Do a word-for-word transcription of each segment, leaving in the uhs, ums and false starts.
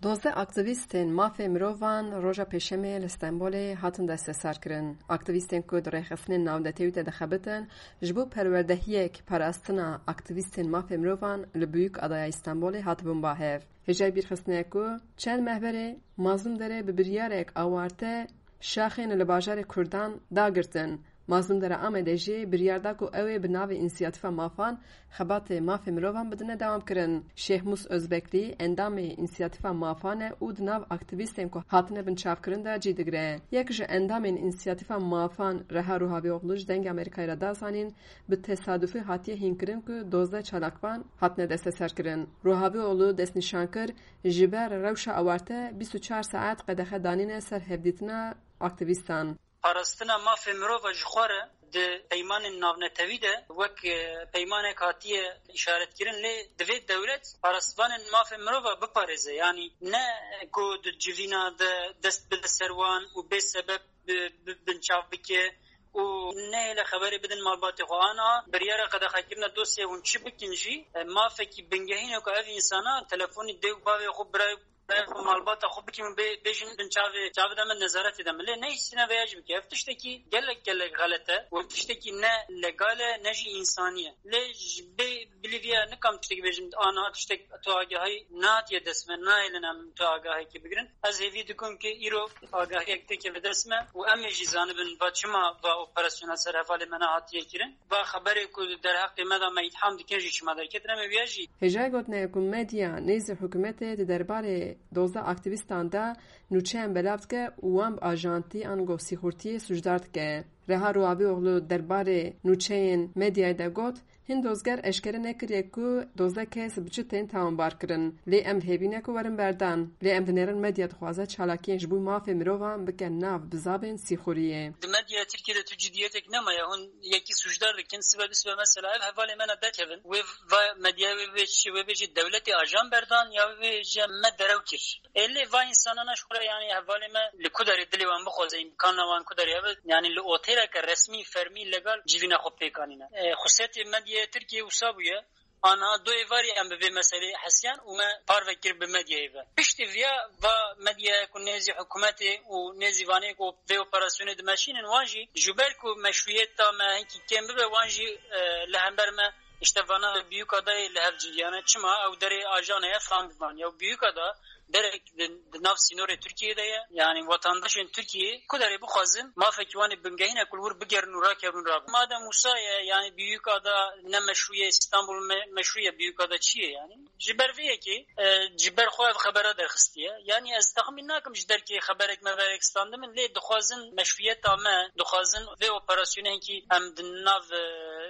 Dozdeh aktîvîstên mafê mirovan roja Pêşemê li Stenbolê hatin desteserkirin. Aktîvîstên ku di rêxistinên navnetewî de dixebitin, ji bo perwerdehiyek parastina aktîvîstên mafê mirovan li Büyükadaya Stenbolê hatibûn ba hev. Hêjayî bîrxistinê ye ku çend meh berê Mazlûm Dere bi biryarek awarte şaxên li bajarê Kurdan dagirtin. Mazlûm Dere Amedê jî biryar da ku ew ê bi navê Însiyatîfa Mafan xebatê mafê mirovan bidine dewamkirin. Şêxmûs Özbeklî, endamê Însiyatîfa Mafan e û di nav aktîvîstên ku hatine binçavkirin de cî digire. Yek ji endamên Însiyatîfa Mafan Reha Ruhavîoglu ji Dengê Amerîkayê re da zanîn, bi tesadufî hatiye hînkirin ku dozdeh çalakvan hatine desteserkirin. Ruhavîoglu destnîşan kir, ji ber rewşa awarte bîst û çar saet qedexe danîne ser hevdîtina aktîvîstan. Parastina mafê mirova ji xwe re di peymanên navnetewî de wek, e, peymanek hatiye îşaretkirin, lê divê dewlet parastvanên mafê mirova biparêze. Yanî ne ku di civîna de dest bide ser wan û bê sebeb bi, bi, binçav bike û nehêle xeberê bidin malbatê xwe. Ana biryara qedexekirina dosyayê hûn çi bikin jî, e, mafekî bingehîn e ku ev însana telefonî dê û bavê xwe, birayê xwe, malbata xwe bikin û bê-, bêjin binçavê çavê de me, nezaretê de me. Lê nehîsîne vêya jî bike. Ev tiştekî gelek gelek xelet e û tiştekî ne legal e, ne jî însanî ye. Lê ji bê bilî vêya nikim tiştekî bêjim, a niha tiştek tu agahî nehatiye dest me, nahêlin em tu agahekî bigirin. Ez hêvî dikim ku îro agahiyek têkeve dest me û em ê jî zanibin va çima va operasyona ser hevalê me nehatiye kirin. Va xeberê ku derheqê me de me îtham dikin jî çima derketin, em ê viya jî. Hêjayî gotinê ye ku medya nêzî hikûmetê di derbarê dozdeh aktîvîstan de nûçeyan belav dike û wan bi ajantî ango sîxurtiyê sûcdar dike. Reha Ruhavîoglu derbarê nûçeyên medyayê de got, Hin dozger eşkere nekiriye ku dozdeh kes bi çi tên tawanbar kirin, lê em li hêvî ne ku werin berdan. Lê em dinêrin medya dixwaze çalakiyên ji bo mafê mirovan bike nav bizavên sîxuriyê. Di medyaya Tirkiyê de tu cidiyetek nemaye, hûn yekî sûcdar dikin, sibe du sibe mesela ev hevalê me ne derkevin. Wê va medyaya wê bê çi, wê bê jî dewletê ajan berdan ya wê bê jî me derew kir. Ê lê va însanana ji xwe re, yanî hevalê me li ku derê dilê wan bixwaze, îmkana wan ku derê hebe, yanî li otêleke resmî, fermî, legal civîna xwe pêk anîne. Ê, xusiyetê medyaya Tirkiyê wisa bûye. Ana du êvarî em bi vê meselê hesiyan û me parve kir bi medyayê ve. Piştî viya va medyaya ku nêzî hikûmetê û nêzî vanê ku vê operasyonê dimeşînin, wan jî ji ber ku meşrûyeta me hinkî kêm bibe, wan jî, e, li hember me işte vana Büyükadayê li hev cîdiyane. Çima ew derê ajana ye, fam bivan. Ya Büyükada derek di, di nav sînorê Tirkiyê de ye. Yanî vatandaşên Tirkiyê ku derê bixwazin, mafekî wan ê bingehîn e ku li wir bigerin û rakevin rabin. Madem wisa ye, yanî Büyükada ne meşrû ye, Îstanbul me-, meşrû ye, Büyükada çi ye yanî? Ji ber vê yekê, e, ji ber xwe ev xebera derxistiye. Yanî ez texmîn nakim ji derkê xeberek meberek standimin, lê dixwazin meşrûyeta me, dixwazin vê operasyonê hinkî em di nav, e,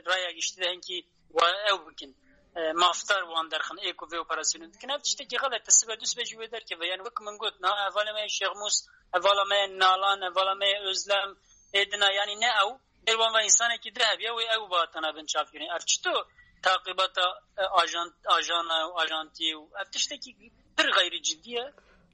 raya giştî de hinkî wa ew bikin. E, mafdar wan derxin, ê ku vê operasyonê dikin. Ev tiştekî xelet e, sibe du sibe jî wê derkeve. Yani wek min got, niha hevalê me yê Şêxmûs, hevala me yê Nalan, hevala me yê Özlem, ê dina, yani ne ew, bêr wan ve însanekî di hebiya, wê ew bihatana binçavkirin. Ev çito taqîbata, e, ajan-, ajana û ajantî û ev tiştekî pir xeyrî cidî ye.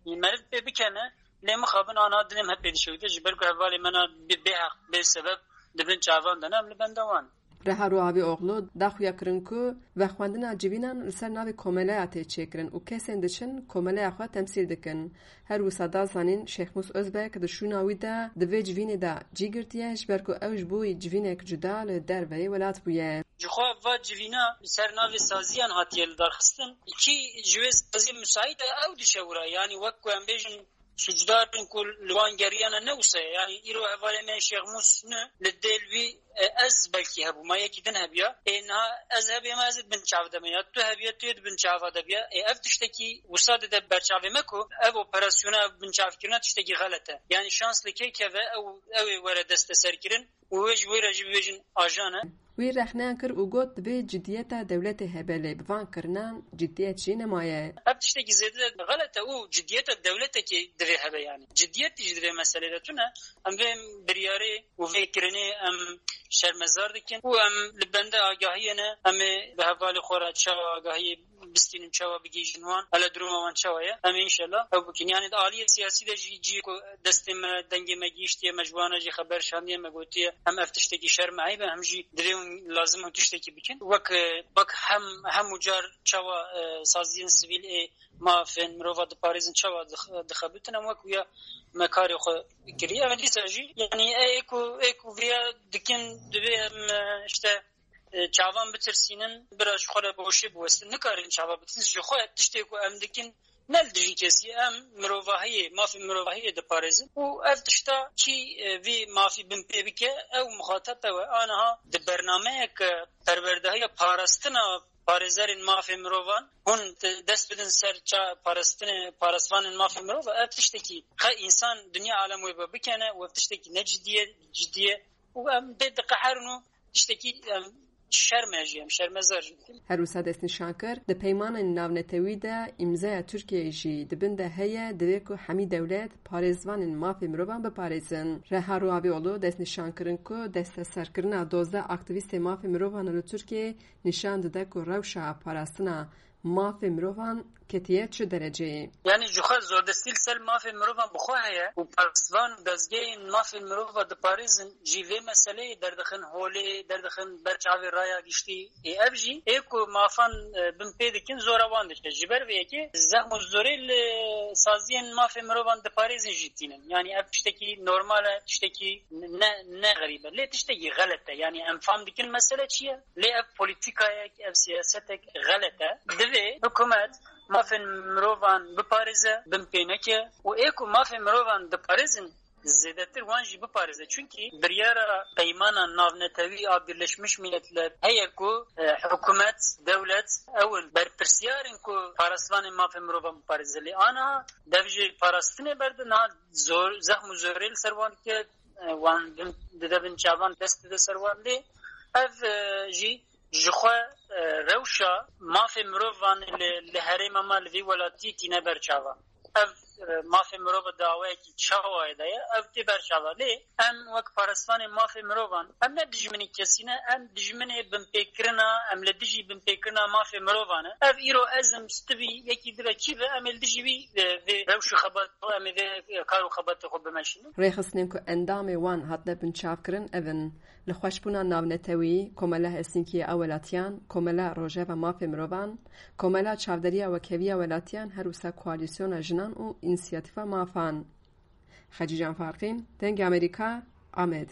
Meriv pê bikene, lê mixabin ana dilê me pê dişewite, ji ber ku hevalê me na bê, bê heq, bê sebeb di bin çavan de ne, em li benda wan. Reha Ruhavîoglu da xuya kirin ku vexwendina civînan li ser navê komeleya tê çêkirin û kesên diçin komeleya xwe temsîl dikin. Her wisa da zanîn Şêxmûs Özbek di şûna wî de di vê civînê de cî girtiye, ji ber ku ew ji bo civînek cuda li derveyê welat bûye. Ji xwe va civîna li ser navê saziyan hatiye lidarxistin. Kî ji wê saziyê müsait e, ew dişewira. Yanî wek ku em bêjin, sûcdar in ku li wan geriyana ne wisa ye. Yanî îro hevalê me Şêxmûs ne, li dêl wî, e, ez belkî hebûma, yekî din hebiya. Ê niha ez hebêma, ez ê di bin çav de me ya tu hebiya, tu yê di bin çava de biya. Ê ev tiştekî wisa dide berçavê me ku ev operasyona, ev binçavkirina tiştekî xelet e. Yanî şans li kê keve, ew, ew ê were desteserkirin. Û wê ji wê re jî bibêjin ajan e. Wî rexneyan kir û got, divê cidiyeta dewletê hebe, lê bi van kirinan cidiyet jî nemaye. Ev tiştekî zêde xelet e û cidiyeta dewletekê divê hebe yani. Cidiyetî jî di vê meselê de tune. Em vê biryarê û vê kirinê em şermezar dikin û em li bende agahiyê ne, em ê bi hevalê xwe re çawa agahiyê bistînin, çawa bigihîjin wan, hele duruma wan çawa ye, em ê înşellah ew bikin. Yani di aliyê siyasî de jî cihê ku destê me, dengê me gihîştiye, me ji wana jî xeber şandiye, me gotiye, hem ev tiştekî şerm e, eyb e, hem jî divê hûn lazim hûn tiştekî bikin. Wek, e, wek hem, hemû car çawa, e, saziyên sivîl ê mafên mirova diparêzin, çawa dix-, dixebitin, em wek wiya me karê xwe kiriye. Em dîsa jî, yanî, ê ku, ê ku vêya dikin, divê em, e, işte, e, çavan bitirsînin, bira ji xwe re bi hoşê biwestin. Nikarin çava bitirin. Ji xwe tiştê ku em dikin, ne li dijî kesî, em mirovahiyê, mafê mirovahiyê diparêzin û ev tişta kî, e, vî mafî binpê bike, ew muxateb ew e. Aniha di bernameyeke perwerdehiya parastina parêzerên mafê mirovan, hûn te-, dest bidin ser ça-, parastinê, parastvanên mafê mirov, ev tiştekî qe însan dinya alem wê be bikene û ev tiştekî ne cidî ye, cidî ye û em pê diqeherin û tiştekî, em, şerm e jî, em şermezar jî dikin. Her wisa destnîşan kir, di peymanên navnetewî de îmzaya Tirkiyeyê jî di bin de heye, divê ku hemî dewlet parêzvanên mafê mirovan biparêzin. Reha Ruhavîoglu destnîşan kirin ku desteserkirina dozdeh aktîvîstê mafê mirovan li Tirkiyeyê nîşan dide ku rewşa parastina mafê mirovan ketiye çi dereceyê. Yanî ji xwe zordestî li ser mafê mirovan bi xwe heye û parastvan û dezgehên mafê mirova diparêzin jî vê meseleyê derdixin holê, derdixin ber çavê raya giştî. Ê ev jî ê ku mafan, e, bin pê dikin, zora wan dike. Ji ber vê yekê zexm û zorê li saziyên mafê mirovan diparêzin jî tînin. Yanî ev tiştekî normal e, tiştekî ne, ne xerîb e. Lê tiştekî xelet e. Yanî em fam dikin mesele çi ye? Lê ev polîtîkayek, ev siyasetek xelet e. Divê hikûmet mafên mirovan biparêze, bin pê neke û ê ku mafên mirovan diparêzin, zêdetir wan jî biparêze. Çunkî biryara peymana navnetewî a Birleşmiş Milletler heye ku, e, hikûmet, dewlet, ew in berpirsiyar in ku parastvanên mafên mirovan biparêze. Lê aniha dev ji parastinê berdin, niha zor, zexm û zorê li ser wan dike, e, wan din dide bin çavan, dest dide ser wan. Lê ev, e, jî ji xwe, e, rewşa mafê mirovan li, li herêma me, li vî welatî tîne ber çavan. Ev, e, mafê mirova di awayekî çawa de ye, ev tê ber çavan. Lê em wek parastvanê mafê mirovan, em ne dijminê kesî ne, em dijminê binpêkirina, em li dijî binpêkirina mafê mirovan e. Ev îro ez im, tu bî, yekî dibe, kî be, em ê li dijî wî, e, vê rewş û xebat, em ê vê kar û xebatê xwe bimeşînin. Rêxistinên ku endamê wan hatine binçavkirin ev in: Lixweşbûna Navnetewî, Komela Helsinkî ya Welatiyan, Komela Rojeva Mafê Mirovan, Komela Çavderiya Wekheviya Welatiyan, her wisa Koalîsyona Jinan û Însiyatîfa Mafan. Xecîcan Farqîn, Dengê Amerîka, Amed.